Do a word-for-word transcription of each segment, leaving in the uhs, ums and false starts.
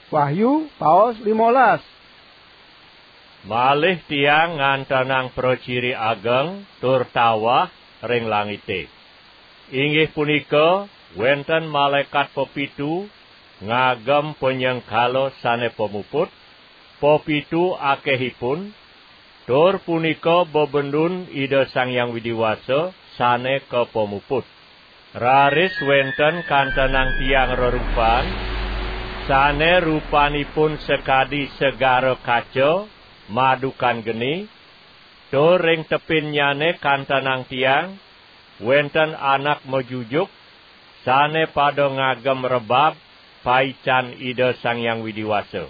Wahyu, paos limolas. Malih tiang ngantenang praciri ageng tur tawah ring langite. Inggih punika, wenten malaekat pepitu ngagem panyengkala sane pamuput, pepitu akehipun, tur punika bebendun Ida Sang Hyang Widi Wasa sane kapamuput. Raris wenten kantenang tiang rerupan, sane rupanipun sakadi segara kaca madukan geni, tur ring tepinnyane kantenang tiang, wenten anak majujuk, sane pada ngagem rebab paican Ida Sang Hyang Widi Wasa.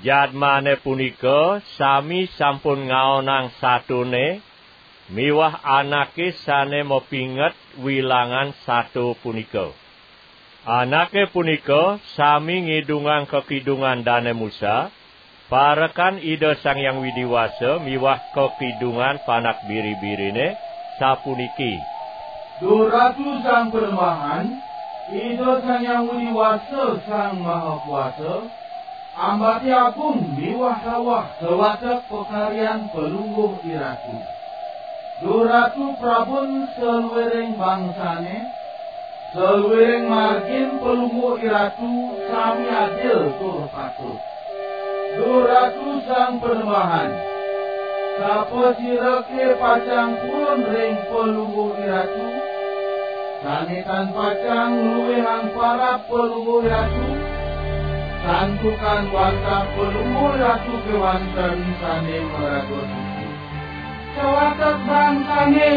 Jadmane punika sami sampun ngaonang satone miwah anake sane mapinget wilangan sato punika. Anake punika sami ngidungang kakidungan Dane Musa, parekan Ida Sang Hyang Widi Wasa miwah kakidungan Panak Biri-birine, sapuniki: Duh Ratu Sang Panembahan, Ida Sang Hyang Widi Wasa Sang Maha Kuasa, ambate agung miwah tawah sawatek pakaryan Palungguh Iratu. Duh Ratu prabun saluiring bangsane, saluiring margin Palungguh Iratu sami adil tur patut. Duh Ratu Sang Panembahan, sapasirake pacang purun ring Palungguh Iratu, sane tan pacang ngluihang parab Palungguh Iratu, santukan wantah Palungguh Iratu kewanten sane maraga suci. Sawatek bangsane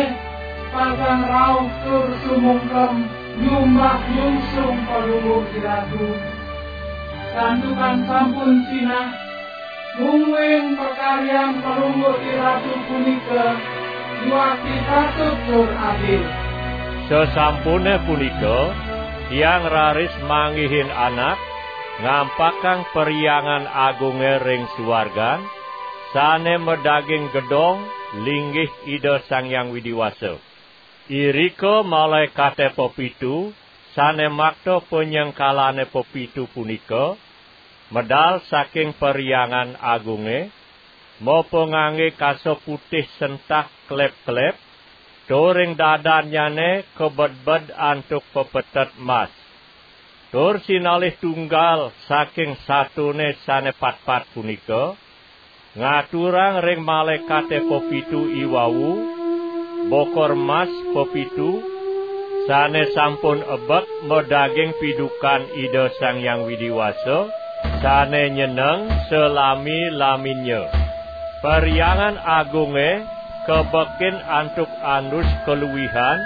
pacang rauh tur sumungkem nyumbah nyungsung Palungguh Iratu. Santukan sampun sinah, mungguing pakaryan Palungguh Iratu punika yuakti patut tur adil. Sasampune punika, tiang raris manggihin anak, ngampakang Perhyangan Agunge ring suargan, sane madaging gedong linggih Ida Sang Hyang Widi Wasa. Irika malaekate pepitu, sane makta panyengkalane pepitu punika, medal saking Perhyangan Agunge, mapangangge kasa putih sentah klep-klep, tur ring dadannyane kabedbed antuk pepetet mas. Tur sinalih tunggal saking satone sane patpat punika, ngaturang ring malaekate pepitu iwau bokor mas pepitu, sane sampun ebet madaging pidukan Ida Sang Hyang Widi Wasa, sane nyeneng salami-laminnya. Perhyangan Agunge kabekin antuk andus kaluihan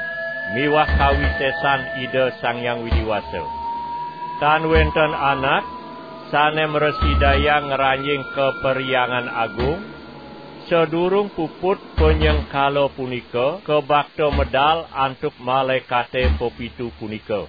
miwah kawisesan Ida Sang Hyang Widi Wasa. Tan wenten anak sane mrasidayang ngranjing ka Perhyangan Agung, sadurung puput panyengkala punika kabakta medal antuk malaekate pepitu punika.